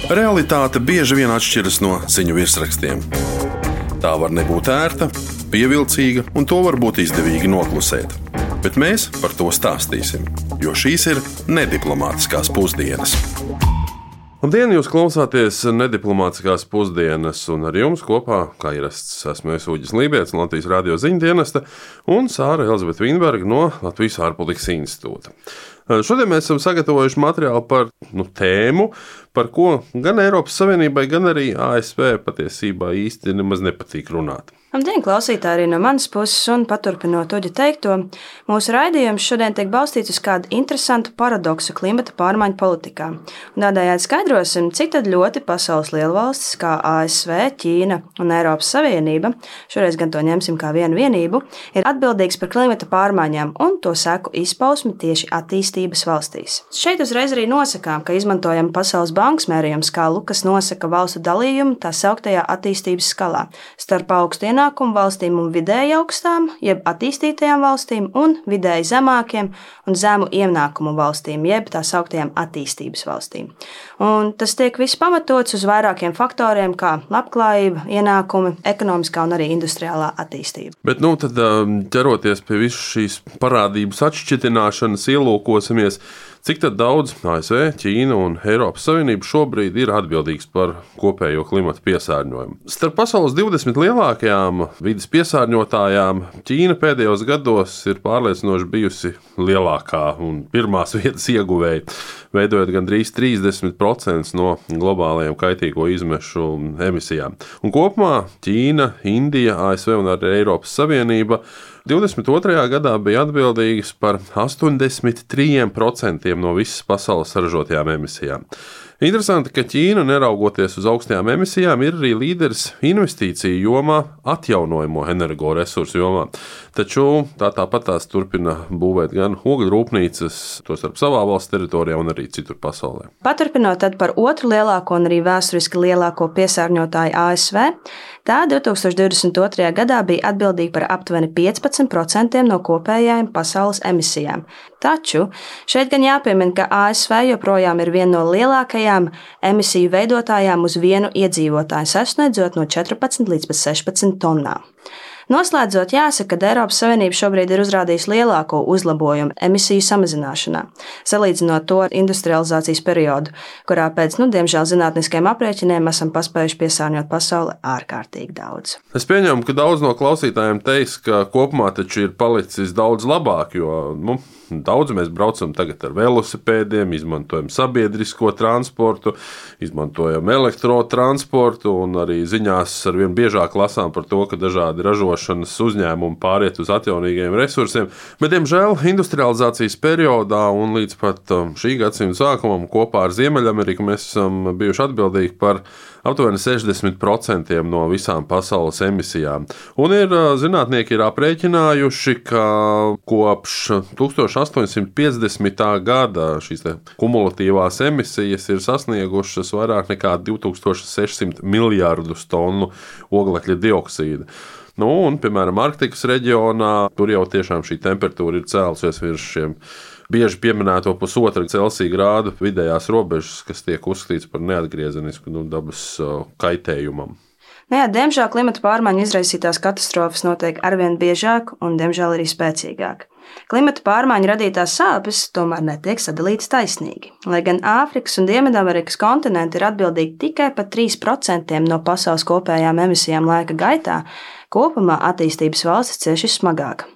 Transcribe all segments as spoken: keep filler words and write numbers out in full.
Realitāte bieži vien atšķiras no ziņu virsrakstiem. Tā var nebūt ērta, pievilcīga, un to var būt izdevīgi noklusēt. Bet mēs par to stāstīsim, jo šīs ir nediplomātiskās pusdienas. Labdien, jūs klausāties nediplomātiskās pusdienas, un ar jums kopā, kā ierasts, esmu es Uģis Lībijams no Latvijas radio ziņu dienesta un Sāra Elzbieta Vīnberga no Latvijas ārpolitikas institūta. Šodien mēs esam sagatavojuši materiālu par nu, tēmu, par ko gan Eiropas Savienībai, gan arī A S V patiesībā īsti nemaz nepatīk runāt. Labdien, klausītāji, arī no manas puses, un paturpinot Uģa teikto, mūsu raidījums šodien tiek balstīts uz kādu interesantu paradoksu klimata pārmaiņu politikā. Un tādējādi skaidrosim, cik tad ļoti pasaules lielvalstis, kā A S V, Ķīna un Eiropas Savienība, šoreiz gan to ņemsim kā vienu vienību, ir atbildīgs par klimata pārmaiņām un to seku izpausmi tieši attīstības valstīs. Šeit uzreiz arī nosakām, ka izmantojam Pasaules bankas mērījumu skalu, kas nosaka valstu dalījumu tā sauktajā attīstības skalā starp augstu ienākumu valstīm un vidēji augstām, jeb attīstītajām valstīm un vidēji zemākiem un zemu ienākumu valstīm, jeb tā sauktajām attīstības valstīm. Un tas tiek viss pamatots uz vairākiem faktoriem, kā labklājība, ienākumi, ekonomiskā un arī industriālā attīstība. Bet, nu, tad ķeroties pie visas šīs parādības atšķitināšanas, ielūkosimies, cik tad daudz A S V, Ķīna un Eiropas Savienība šobrīd ir atbildīgs par kopējo klimata piesārņojumu. Starp pasaules divdesmit lielākajām vides piesārņotājām Ķīna pēdējos gados ir pārliecinoši bijusi lielākā un pirmās vietas ieguvēja, veidojot gandrīz trīsdesmit procenti no globālajiem kaitīgo izmešu emisijām. Un kopumā Ķīna, Indija, A S V un arī Eiropas Savienība divdesmit otrajā gadā bija atbildīgas par astoņdesmit trīs procenti no visas pasaules saražotajām emisijām. Interesanti, ka Ķīna, neraugoties uz augstajām emisijām, ir arī līderis investīciju jomā, atjaunojamo energoresursu jomā. Taču tā tāpat tās turpina būvēt gan ogļu rūpnīcas, tostarp savā valsts teritorijā un arī citur pasaulē. Paturpinot tad par otru lielāko un arī vēsturiski lielāko piesārņotāju A S V, tā divtūkstoš divdesmit otrajā gadā bija atbildīga par aptuveni piecpadsmit procenti no kopējām pasaules emisijām. Taču šeit gan jāpiemina, ka A S V joprojām ir viena no lielākajām emisiju veidotājām uz vienu iedzīvotāju, sasniedzot no četrpadsmit līdz sešpadsmit tonnām. Noslēdzot, jāsaka, ka Eiropas Savienība šobrīd ir uzrādījusi lielāko uzlabojumu emisiju samazināšanā, salīdzinot to ar industrializācijas periodu, kurā pēc, nu, diemžēl, zinātniskiem aprēķiniem esam paspējuši piesārņot pasauli ārkārtīgi daudz. Es pieņemu, ka daudz no klausītājiem teiks, ka kopumā taču ir palicis daudz labāk, jo, nu, daudz mēs braucam tagad ar velosipēdiem, izmantojam sabiedrisko transportu, izmantojam elektrotransportu un arī ziņās arvien biežāk lasām par to, ka dažādi ražošanas uzņēmumi pāriet uz atjaunīgiem resursiem, bet, diemžēl, industrializācijas periodā un līdz pat šī gadsimta sākumam kopā ar Ziemeļameriku mēs esam bijuši atbildīgi par aptuveni sešdesmit procenti no visām pasaules emisijām. Un ir zinātnieki ir aprēķinājuši, ka kopš tūkstoš astoņsimt piecdesmitā gada šīs kumulatīvās emisijas ir sasniegušas vairāk nekā divi tūkstoši sešsimt miljardus tonu oglekļa dioksīda. Nu, un, piemēram, Arktikas reģionā, tur jau tiešām šī temperatūra ir cēlusies virs šiem bieži pieminēto pusotra Celsija grādu vidējās robežas, kas tiek uzskatīts par neatgriezenisku nu, dabas kaitējumam. Nē, diemžēl klimata pārmaiņu izraisītās katastrofas notiek arvien biežāk un, diemžēl, arī spēcīgāk. Klimata pārmaiņu radītās sāpes tomēr netiek sadalītas taisnīgi. Lai gan Āfrikas un Dienvidamerikas kontinenti ir atbildīgi tikai par trīs procenti no pasaules kopējām emisijām laika gaitā, kopumā attīstības valstis cieši smagāk.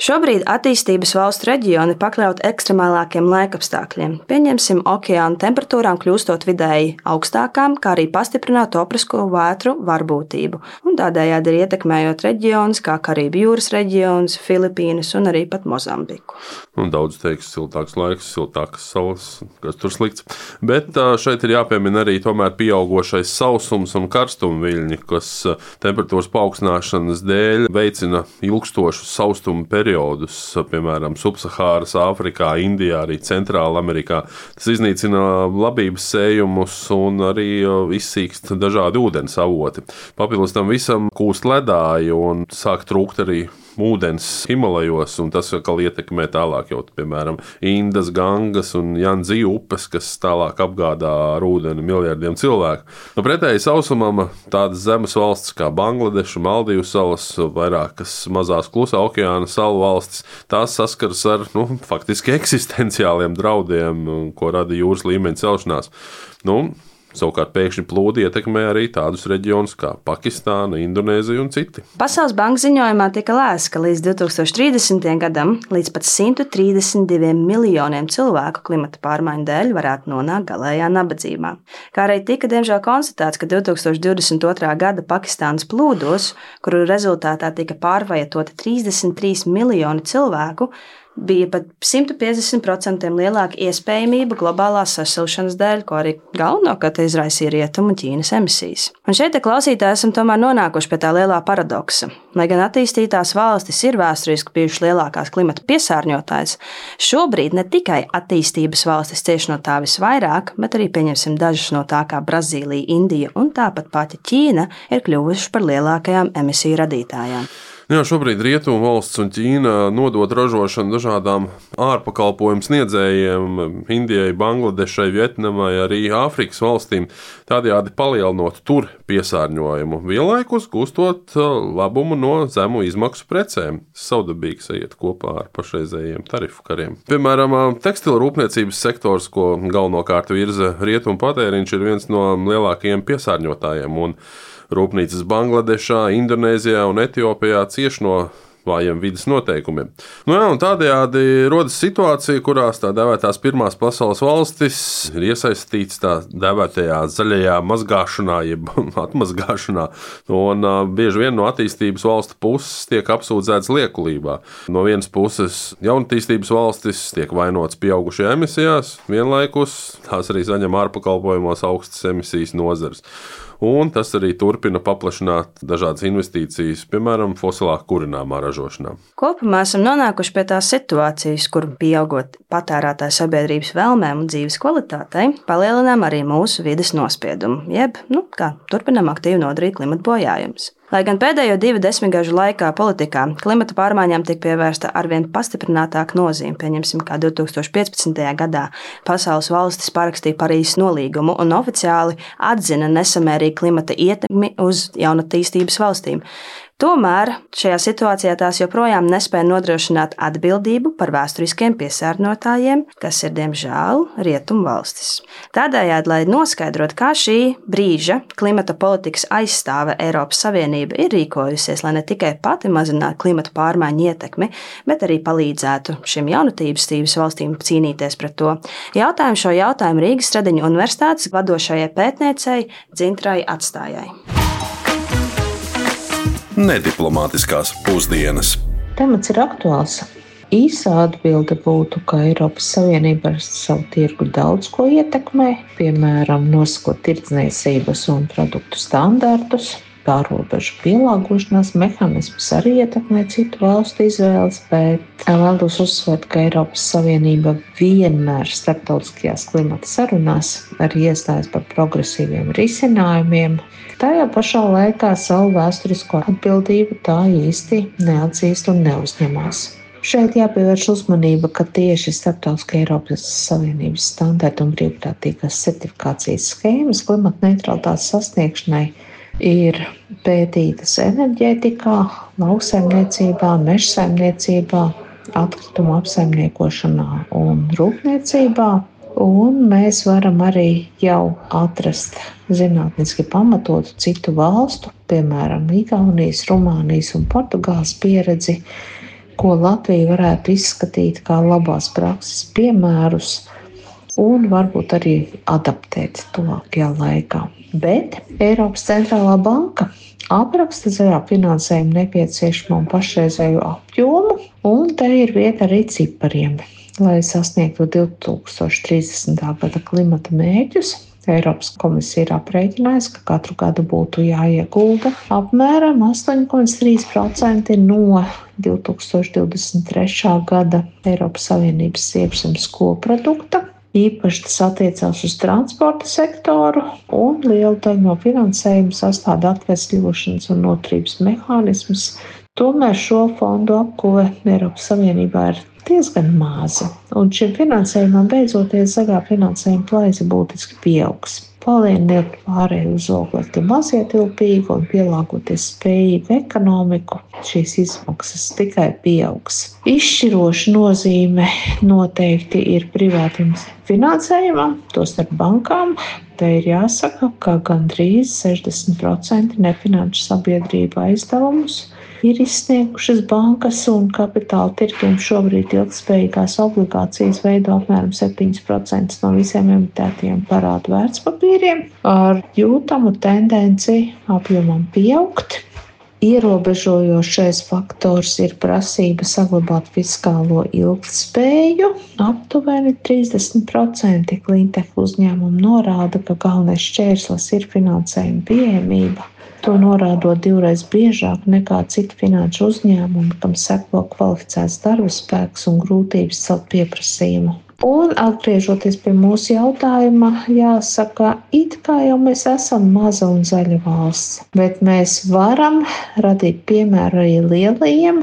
Šobrīd attīstības valstu reģioni pakļauti ekstremālākiem laikapstākļiem, pieņemsim okeāna temperatūrām kļūstot vidēji augstākām, kā arī pastiprināt tropisko vētru varbūtību, un tādējādi ir ietekmējot reģionus kā Karību jūras reģions, Filipīnas un arī pat Mozambiku. Un daudz teiks siltāks laiks, siltākas salas, kas tur slikts. Bet šeit ir jāpiemina arī tomēr pieaugošais sausums un karstumviļņi, kas temperatūras paaugstināšanas dēļ veicina ilgstošus saustumu periodus. Periodus, piemēram, Subsahāras Āfrikā, Indijā, arī Centrāla Amerikā. Tas iznīcina labības sējumus un arī izsīkst dažādi ūdens avoti. Papildus tam visam kūst ledāji un sāk trūkt arī ūdens Himalajos, un tas atkal ietekmē tālāk jau, piemēram, Indas, Gangas un Janzi upes, kas tālāk apgādā ar ūdeni miljardiem cilvēku. Nu, pretēji sausumam tādas zemes valstis kā Bangladeša, Maldīvu salas, vairākas mazās klusā okeāna salu valstis, tās saskaras ar, nu, faktiski eksistenciāliem draudiem, ko rada jūras līmeņa celšanās. Nu, Savukārt pēkšņi plūdi ietekmē arī tādus reģionus kā Pakistāna, Indonēzija un citi. Pasaules bankas ziņojumā tika lēsts, ka līdz divtūkstoš trīsdesmitajam gadam līdz pat simt trīsdesmit diviem miljoniem cilvēku klimata pārmaiņu dēļ varētu nonākt galējā nabadzībā. Kā arī tika diemžēl konstatēts, ka divtūkstoš divdesmit otrā gada Pakistānas plūdos, kuru rezultātā tika pārvajatoti trīsdesmit trīs miljoni cilvēku, bija pat simt piecdesmit procenti lielāka iespējamība globālās sasilšanas dēļ, ko arī galvenokārt izraisīja Rietumu un Ķīnas emisijas. Un šeit, klausītāji, esam tomēr nonākuši pie tā lielā paradoksa. Lai gan attīstītās valstis ir vēsturiski bijušas lielākās klimata piesārņotājs, šobrīd ne tikai attīstības valstis cieš no tā visvairāk, bet arī pieņemsim dažas no tā kā Brazīlija, Indija un tāpat pati Ķīna ir kļuvušas par lielākajām emisiju radītājām. Jā, šobrīd Rietumu valsts un Ķīna nodod ražošanu dažādām ārpakalpojumu sniedzējiem, Indijai, Bangladešai, Vietnamai, arī Āfrikas valstīm, tādējādi palielinot tur piesārņojumu, vienlaikus gūstot labumu no zemu izmaksu precēm. Savdabīgs iet kopā ar pašreizējiem tarifu kariem. Piemēram, tekstila rūpniecības sektors, ko galvenokārt virza rietumu patēriņš, ir viens no lielākajiem piesārņotājiem, un rūpnīcas Bangladešā, Indonēzijā un Etiopijā cieš no vājiem vides noteikumiem. Nu jā, un tādējādi rodas situācija, kurās tā dēvētās pirmās pasaules valstis ir iesaistīts tā dēvētajā zaļajā mazgāšanā, jeb atmazgāšanā, un uh, bieži vien no attīstības valstu puses tiek apsūdzēts liekulībā. No vienas puses jaunatīstības valstis tiek vainots pieaugušajā emisijās, vienlaikus tās arī saņem ārpakalpojumos augstas emisijas nozares. Un tas arī turpina paplašināt dažādas investīcijas, piemēram, fosilā kurināmā ražošanā. Kopumā esam nonākuši pie tās situācijas, kur pieaugot patērētāju sabiedrības vēlmēm un dzīves kvalitātei, palielinām arī mūsu vides nospiedumu, jeb, nu, kā turpinām aktīvi nodarīt klimata bojājumus. Lai gan pēdējo divu desmitgažu laikā politikā klimata pārmaiņām tiek pievērsta arvien pastiprinātāka nozīme, pieņemsim, kā divtūkstoš piecpadsmitajā gadā pasaules valstis parakstīja Parīzes nolīgumu un oficiāli atzina nesamērīgu klimata ietekmi uz jaunatīstības valstīm. Tomēr šajā situācijā tās joprojām nespēja nodrošināt atbildību par vēsturiskiem piesārņotājiem, kas ir, diemžēl, rietumu valstis. Tādējādi, lai noskaidrotu, kā šī brīža klimata politikas aizstāve Eiropas Savienība ir rīkojusies, lai ne tikai pati mazinātu klimata pārmaiņu ietekmi, bet arī palīdzētu šim jaunatīstības valstīm cīnīties pret to. Jautājumu šo jautājumu Rīgas Stradiņu universitātes vadošajai pētniecei Dzintrai Atstājai. Nediplomātiskās pusdienas. Temats ir aktuāls. Īsā atbilde būtu, ka Eiropas Savienība ar savu tirgu daudz ko ietekmē, piemēram, nosakot tirdzniecības un produktu standartus. Pārobežu pielāgošanās mehānismus arī ietekmē citu valstu izvēles, bet vēlos uzsvērt, ka Eiropas Savienība vienmēr starptautiskajās klimata sarunās arī iestājas par progresīviem risinājumiem. Tajā pašā laikā savu vēsturisko atbildību tā īsti neatzīst un neuzņemās. Šeit jāpievērš uzmanība, ka tieši starptautiskā Eiropas Savienības standarta un brīvprātīgās certifikācijas schēmas klimata neutralitātes sasniegšanai ir pētītas enerģētikā, lauksaimniecībā, mežsaimniecībā, atkritumu apsaimniekošanā un rūpniecībā. Un mēs varam arī jau atrast zinātniski pamatotu citu valstu, piemēram, Igaunijas, Rumānijas un Portugāles pieredzi, ko Latvija varētu izskatīt kā labās prakses piemērus un varbūt arī adaptēt tuvākajā laikā. Bet Eiropas centrālā banka apraksta zaļā finansējuma nepieciešamo un pašreizējo apjomu, un te ir vieta arī cipariem. Lai sasniegtu divtūkstoš trīsdesmitā gada klimata mērķus, Eiropas komisija ir aprēķinājusi, ka katru gadu būtu jāiegulda apmēram astoņi komats trīs procenti no divtūkstoš divdesmit trešā gada Eiropas Savienības iekšzemes koprodukta. Īpaši tas attiecās uz transporta sektoru, un lielu daļu no finansējuma sastāda atvesļošanas un noturības mehānismus, Tomēr šo fondu apguve Eiropas Savienībā ir diezgan maza, un šim finansējumam beidzoties zaļā finansējuma plaisa būtiski pieaugs. Palieliniet pārēju uz oglekļa mazietilpīgu un pielāgoties spējīgu ekonomiku, šīs izmaksas tikai pieaugs. Izšķiroša nozīme noteikti ir privātam finansējumam, tostarp bankām. Te ir jāsaka, ka gandrīz sešdesmit procenti nefinanšu sabiedrību aizdevumus ir izsniegušas bankas, un kapitāla tirgiem šobrīd ilgtspējīgās obligācijas veido apmēram septiņi procenti no visiem emitētajiem parādu vērtspapīriem, ar jūtamu tendenci apjomam pieaugt. Ierobežojošais faktors ir prasība saglabāt fiskālo ilgtspēju. Aptuveni trīsdesmit procenti Cleantech uzņēmumu norāda, ka galvenais šķērslis ir finansējuma pieejamība. To norādot divreiz biežāk nekā citu finanšu uzņēmumu, kam seko kvalificēts darba spēks un grūtības celt pieprasījumu. Un atgriežoties pie mūsu jautājuma, jāsaka, it kā jau mēs esam maza un zaļa valsts, bet mēs varam radīt piemēru arī lielajiem,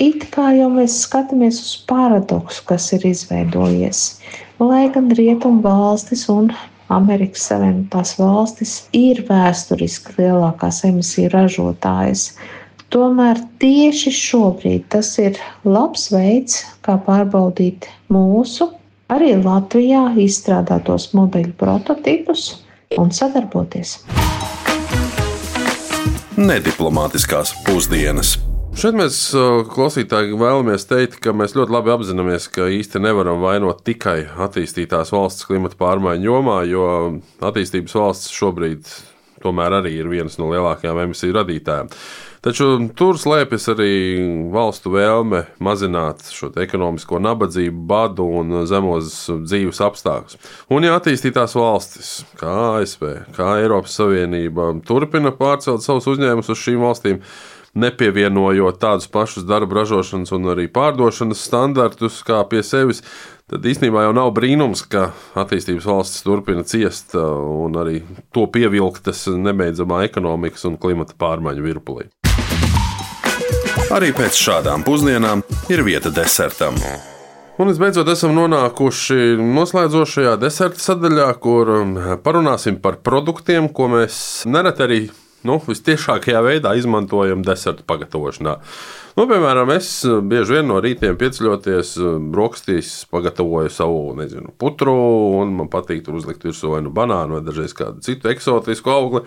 it kā jau mēs skatāmies uz paradoksu, kas ir izveidojies. Lai gan rietumu valstis un Amerikas Savienotās valstis ir vēsturiski lielākās emisiju ražotājas. Tomēr tieši šobrīd tas ir labs veids, kā pārbaudīt mūsu, arī Latvijā izstrādātos modeļu prototipus un sadarboties. Nediplomātiskās pusdienas. Šeit mēs, klausītāji, vēlamies teikt, ka mēs ļoti labi apzināmies, ka īsti nevaram vainot tikai attīstītās valsts klimata pārmaiņu jomā, jo attīstības valsts šobrīd tomēr arī ir viens no lielākajām emisiju radītājiem. Taču tur slēpjas arī valstu vēlme mazināt šo ekonomisko nabadzību, badu un zemos dzīves apstākļus. Un ja attīstītās valstis, kā A S V, kā Eiropas Savienība, turpina pārcelt savus uzņēmumus uz šīm valstīm, nepievienojot tādus pašus darba ražošanas un arī pārdošanas standartus kā pie sevis, tad īstenībā jau nav brīnums, ka attīstības valstis turpina ciest un arī to pievilktas nebeidzamā ekonomikas un klimata pārmaiņu virpulī. Arī pēc šādām pusdienām ir vieta desertam. Un visbeidzot esam nonākuši noslēdzošajā deserta sadaļā, kur parunāsim par produktiem, ko mēs nereti arī Nu, vistiešākajā veidā izmantojam desertu pagatavošanā. Nu, piemēram, es bieži vien no rītiem pieceļoties brokastīs pagatavoju savu, nezinu, putru, un man patīk tur uzlikt virsū vai nu banānu vai dažreiz kādu citu eksotisku augli.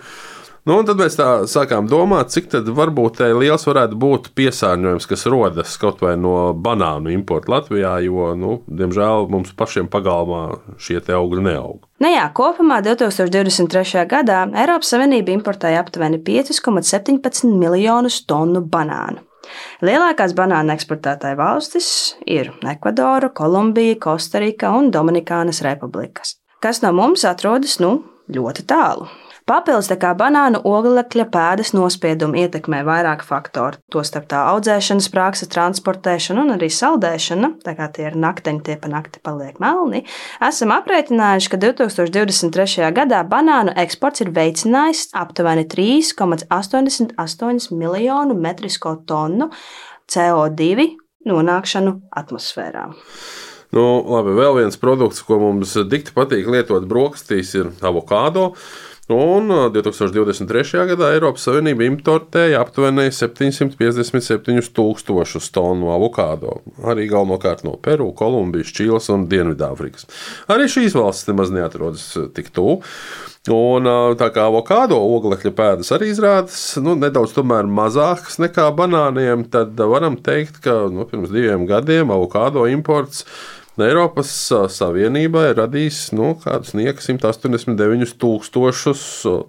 Nu, un tad mēs tā sākām domāt, cik tad varbūt liels varētu būt piesārņojums, kas rodas kaut vai no banānu importa Latvijā, jo, nu, diemžēl mums pašiem pagalmā šie te augļi neaug. Nu jā, kopumā divtūkstoš divdesmit trešajā gadā Eiropas Savienība importēja aptuveni pieci komats septiņpadsmit miljonus tonu banānu. Lielākās banānu eksportētāju valstis ir Ekvadora, Kolumbija, Kostarika un Dominikānas republikas, kas no mums atrodas, nu, ļoti tālu. Papildus tā kā banānu oglekļa pēdas nospiedumi ietekmē vairāk faktoru, tostarp tā audzēšanas prakse, transportēšana un arī saldēšana, tā kā tie ir nakteņi, tie pa nakti paliek melni. Esam aprēķinājuši, ka divtūkstoš divdesmit trešajā gadā banānu eksports ir veicinājis aptuveni trīs komats astoņdesmit astoņi miljonu metrisko tonu C O divi nonākšanu atmosfērā. Nu, labi, vēl viens produkts, ko mums dikti patīk lietot brokastīs, ir avokādo. Un divtūkstoš divdesmit trešajā gadā Eiropas Savienība importēja aptuveni septiņsimt piecdesmit septiņus tūkstošus tonu avokādo, arī galvenokārt no Peru, Kolumbijas, Čīles un Dienvidāfrikas. Arī šīs valstis nemaz neatrodas tik tuvu. Un tā kā avokādo oglekļa pēdas arī izrādas nu, nedaudz tomēr mazākas nekā banāniem, tad varam teikt, ka nu, pirms diviem gadiem avokādo imports Eiropas Savienībai radīs nu, kādus nieka simt astoņdesmit deviņus tūkstošus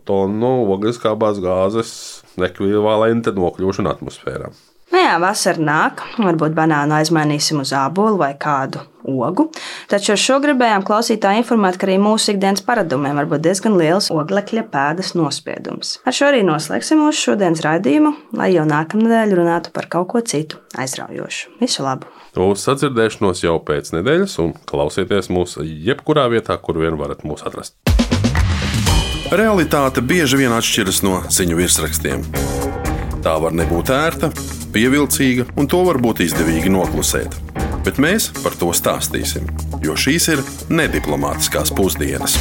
tonu ogliskābās gāzes ekvivalenta nokļūšanu atmosfērā. Nu jā, vasara nāk, varbūt banānu aizmainīsim uz ābolu vai kādu ogu, taču ar šo gribējām klausītāji informēt, ka arī mūsu ikdienas paradumiem var būt diezgan liels oglekļa pēdas nospiedums. Ar šo arī noslēgsim mūsu šodienas raidījumu, lai jau nākamnedēļ runātu par kaut ko citu aizraujošu. Visu labu! Uz sadzirdēšanos jau pēc nedēļas un klausieties mūs jebkurā vietā, kur vien varat mūs atrast. Realitāte bieži vien atšķiras no ziņu virsrakstiem. Tā var nebūt ērta, pievilcīga un to var būt izdevīgi noklusēt. Bet mēs par to stāstīsim, jo šīs ir nediplomātiskās pusdienas.